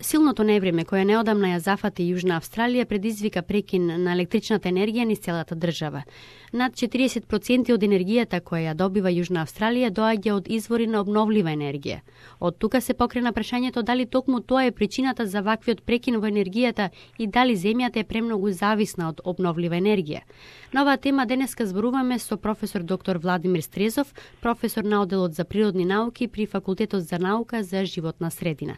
Силното невреме кое неодамна ја зафати Јужна Австралија предизвика прекин на електричната енергија низ целата држава. Над 40% од енергијата која ја добива Јужна Австралија доаѓа од извори на обновлива енергија. Од тука се покрена прашањето дали токму тоа е причината за ваквиот прекин во енергијата и дали земјата е премногу зависна од обновлива енергија. На оваа тема денеска зборуваме со професор доктор Владимир Стрезов, професор на оделот за природни науки при Факултетот за наука за животна средина.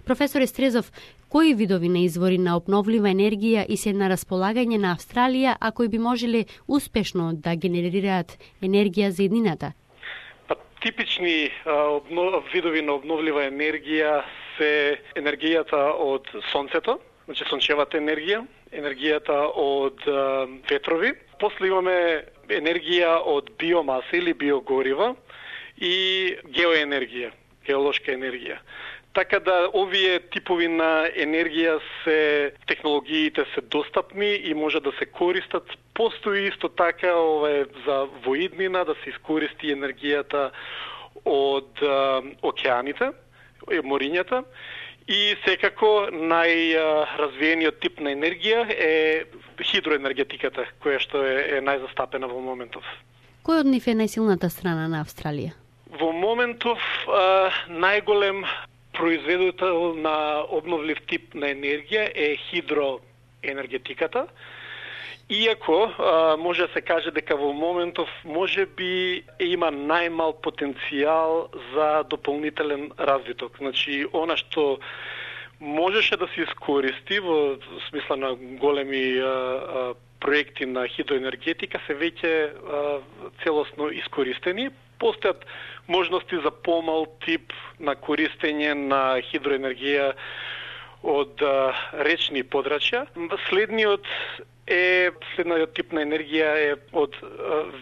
Професоре Стрезов, кои видови на извори на обновлива енергија и се на располагање на Австралија, а кои би можеле успешно да генерираат енергија за еднината? Типични видови на обновлива енергија се енергијата од сонцето, значи сончевата енергија, енергијата од ветрови. После имаме енергија од биомаса или биогорива и геоенергија, геолошка енергија. Така да овие типови на енергија технологиите се достапни и може да се користат. Постои исто така за воиднина да се искористи енергијата од океаните, морињата. И секако најразвиениот тип на енергија е хидроенергетиката, која што е најзастапена во моментов. Кој од нив е најсилната страна на Австралија? Во моментов најголем производител на обновлив тип на енергија е хидроенергетиката. Иако може да се каже дека во моментов може би има најмал потенцијал за дополнителен развиток. Значи, она што можеше да се искористи во смисла на големи проекти на хидроенергетика се веќе целосно искористени. Постојат можности за помал тип на користење на хидроенергија од речни подрачја. Следниот тип на енергија е од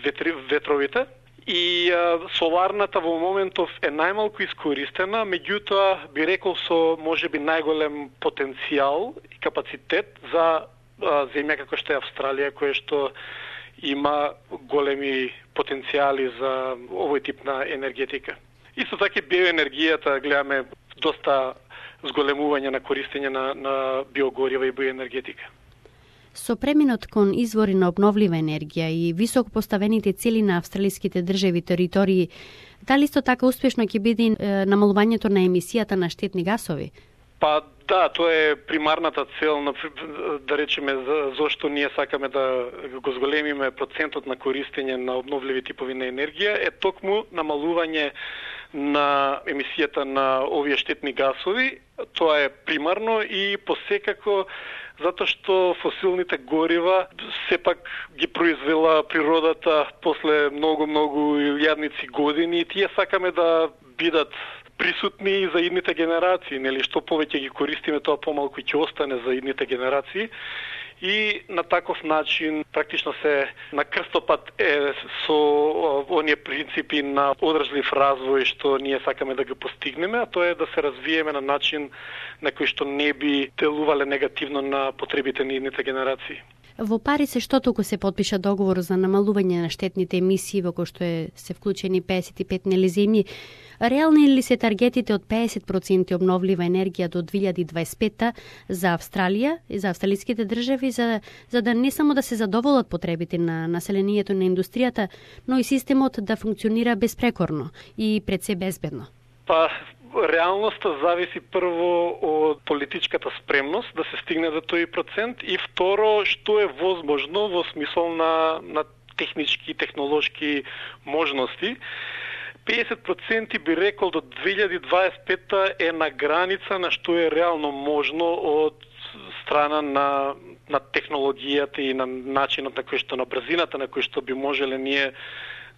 ветровите и соларната во моментов е најмалку искористена, меѓутоа би рекол со можеби најголем потенцијал и капацитет за земја како што е Австралија, која што има големи потенцијали за овој тип на енергетика. Исто така биоенергијата гледаме доста зголемување на користење на биогорива и биоенергетика. Со преминот кон извори на обновлива енергија и високо поставените цели на австралиските држави и територии, дали исто така успешно ќе биде намалувањето на емисијата на штетни гасови? Да, тоа е примарната цел, да речеме, зошто ние сакаме да го зголемиме процентот на користење на обновливи типови на енергија, е токму намалување на емисијата на овие штетни гасови. Тоа е примарно и посекако затоа што фосилните горива сепак ги произвела природата после многу илјадници години и тие сакаме да бидат присутни и за идните генерации, нели, што повеќе ги користиме, тоа помалку ќе остане за идните генерации. И на таков начин практично се на крстопат со оние принципи на одржлив развој што ние сакаме да го постигнеме, а тоа е да се развиеме на начин на кој што не би делувале негативно на потребите на идните генерации. Во Париз што туку се подпиша договор за намалување на штетните емисии во кој што се вклучени 55 нели земји. Реални ли се таргетите од 50% обновлива енергија до 2025 за Австралија и за австралиските држави за да не само да се задоволат потребите на населението на индустријата, но и системот да функционира безпрекорно и пред се безбедно? Реалноста зависи прво од политичката спремност да се стигне до тој процент и второ што е возможно во смисол на технички и технолошки можности. 50% би рекол до 2025 е на граница на што е реално можно од страна на технологијата и на начинот на кој што на брзината на кој што би можеле ние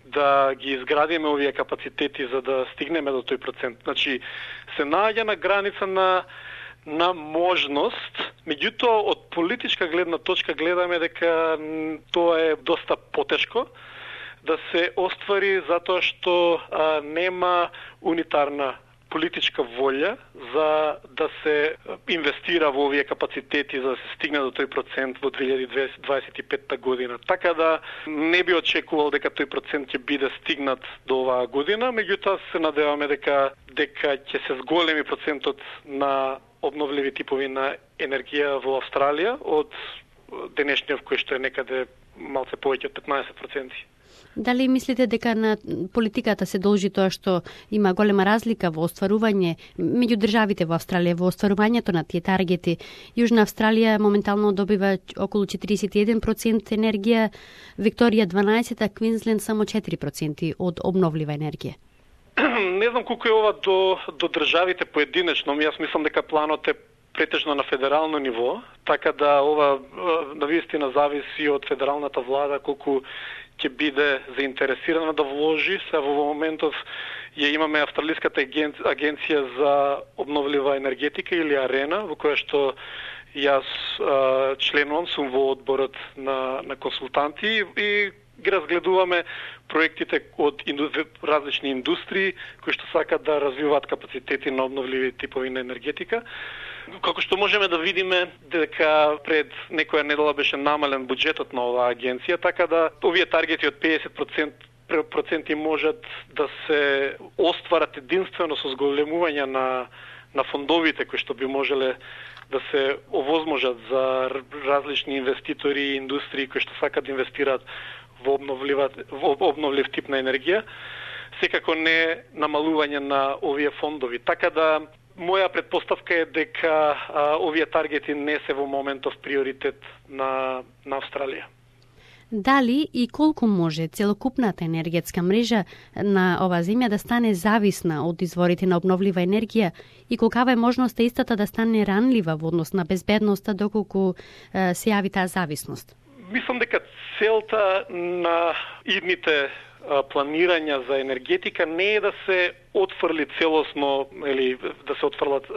да ги изградиме овие капацитети за да стигнеме до тој процент. Значи, се наоѓа на граница на можност, меѓутоа од политичка гледна точка гледаме дека тоа е доста потешко да се оствари затоа што нема унитарна политичка волја за да се инвестира во овие капацитети за да се стигне до тој процент во 2025 година. Така да не би очекувал дека тој процент ќе биде стигнат до оваа година, меѓутоа се надеваме дека ќе се зголеми процентот на обновливи типови на енергија во Австралија од денешниот кој што е некаде малце повеќе од 15%. Дали мислите дека на политиката се должи тоа што има голема разлика во остварување меѓу државите во Австралија во остварувањето на тие таргети? Јужна Австралија моментално добива околу 41% енергија, Викторија 12%, а Квинсленд само 4% од обновлива енергија. Не знам колку е ова до државите поединечно, јас мислам дека планот е претежно на федерално ниво, така да ова навистина зависи од федералната влада колку ќе биде заинтересирана да вложи. Се во моментов ја имаме Австралиската агенција за обновлива енергетика или АРЕНА, во која што јас членувам, сум во одборот на консултанти и ги разгледуваме проектите од различни индустрии кои што сакат да развиваат капацитети на обновливи типови на енергетика. Како што можеме да видиме дека пред некоја недела беше намален буџетот на оваа агенција, така да овие таргети од 50% можат да се остварат единствено со зголемување на фондовите кои што би можеле да се овозможат за различни инвеститори и индустрии кои што сакат да инвестираат во обновлив тип на енергија, секако не намалување на овие фондови. Така да моја предпоставка е дека овие таргети не се во моментов приоритет на Австралија. Дали и колку може целокупната енергетска мрежа на оваа земја да стане зависна од изворите на обновлива енергија и колкава е можноста истата да стане ранлива во однос на безбедноста доколку се јави таа зависност? Мислам дека целта на идните планирања за енергетика не е да се отфрли целосно или да се отфрлат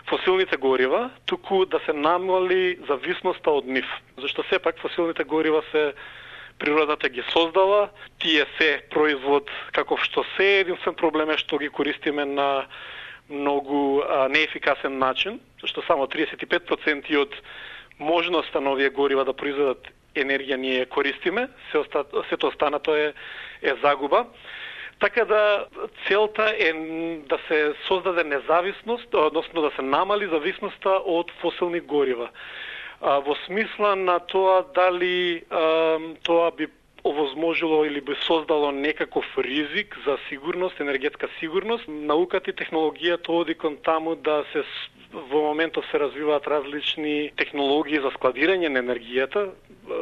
фосилните горива, туку да се намали зависноста од нив. Зашто сепак фосилните горива се природата ги создала, тие се производ каков што се, единствен проблем е што ги користиме на многу неефикасен начин, зашто само 35% од можноста на овие горива да произведат енергија ние користиме, сето останато е загуба. Така да целта е да се создаде независност, односно да се намали зависноста од фосилни горива. Во смисла на тоа дали тоа би овозможило или би создало некаков ризик за сигурност, енергетска сигурност, науката и технологијата оди кон таму да се во моментов се развиваат различни технологии за складирање на енергијата,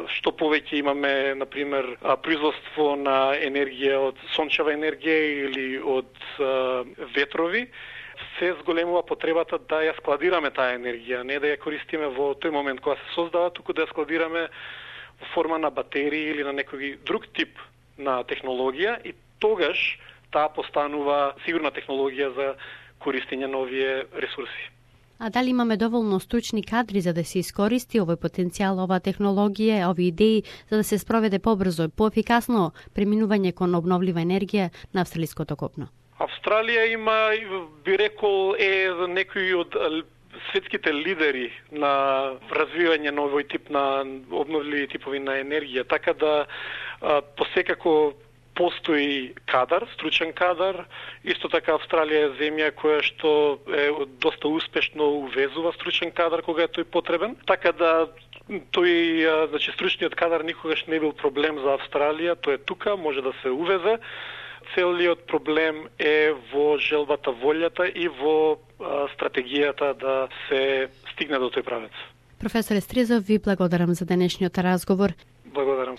што повеќе имаме, например, производство на енергија од сончева енергија или од ветрови, се зголемува потребата да ја складираме таа енергија, не да ја користиме во тој момент кога се создава, туку да ја складираме во форма на батерии или на некој друг тип на технологија и тогаш таа постанува сигурна технологија за користење на овие ресурси. А дали имаме доволно стручни кадри за да се искористи овој потенцијал, оваа технологија, овие идеи, за да се спроведе побрзо и поефикасно преминување кон обновлива енергија на австралиското копно? Австралија има, би рекол, некои од светските лидери на развивање на овој тип на обновливи типови на енергија, така да посекако постои кадар, стручен кадар. Исто така Австралија е земја која што е доста успешно увезува стручен кадар кога е тој потребен. Така да тој, значи стручниот кадар никогаш не бил проблем за Австралија, тој е тука, може да се увезе. Целиот проблем е во желбата, волјата и во стратегијата да се стигне до тој правец. Професор Естрезов, ви благодарам за денешниот разговор. Благодарам.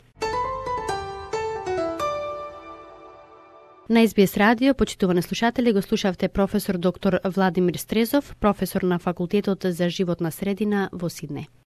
На СБС радио, почитувани слушатели, го слушавте професор доктор Владимир Стрезов, професор на Факултетот за животна средина во Сиднеј.